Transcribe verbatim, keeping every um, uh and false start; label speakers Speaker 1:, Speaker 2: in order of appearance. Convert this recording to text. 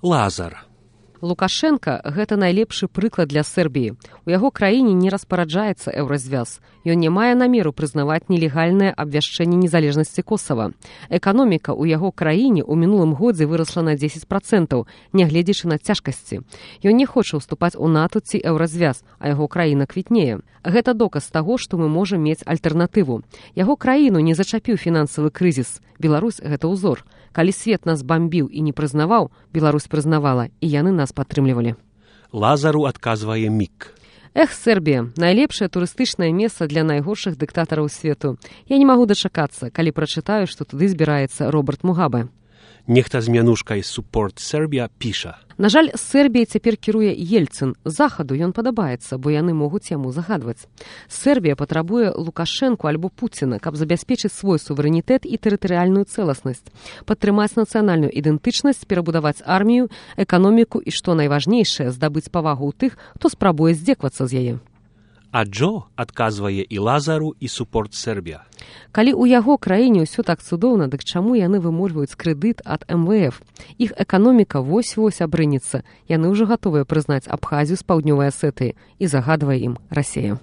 Speaker 1: Лазар.
Speaker 2: Лукашенко – гэта найлепшы прыклад для Сербіі. У яго краіне не распараджаецца еўразвяз. Ён не мае намеру прызнаваць нелегальнае абвяшчэнне незалежнасці Косава. Эканоміка ў яго краіне ў мінулым годзе вырасла на дзесяць працэнтаў, нягледзячы на цяжкасці. Ён не хоча ўступаць у НАТО ці еўразвяз, а яго краіна квітнее. Гэта доказ таго, што мы можам мець альтэрнатыву. Яго краіну не зачапіў фінансавы крызіс. Беларусь – гэта ўзор. Калі свет нас бамбіў і не прызнаваў, Беларусь прызнавала, і яны нас падтрымлівалі.
Speaker 1: Лазару адказвае Мік.
Speaker 2: Эх, Сербія, найлепшае турыстычнае месца для найгоршых дыктатараў свету. Я не магу дачакацца, калі прачытаю, што туды збіраецца Роберт Мугабе.
Speaker 1: Нехта з мянушкай Support Serbia піша.
Speaker 2: На жаль, Сербіяй цяпер кіруе Ельцын. Захаду ён падабаецца, бо яны могуць яму загадваць. Сербія патрабуе Лукашэнку альбо Пуціна, каб забяспечыць свой суверэнітэт і тэрытарыяльную цэласнасць, падтрымаць нацыянальную ідэнтычнасць, перабудаваць армію, эканоміку і, што найважнейшае, здабыць павагу ў тых, хто спрабуе здзеквацца з яе.
Speaker 1: А Джо адказвае і Лазару, і Support Serbia.
Speaker 2: Калі ў яго краіне ўсё так цудоўна, дык чаму яны вымольваюць крэдыт ад эм вэ эф? Іх эканоміка вось-вось абрынецца. Яны ўжо гатовыя прызнаць Абхазію з паўднёвай Асетыі і загадвае ім Расія.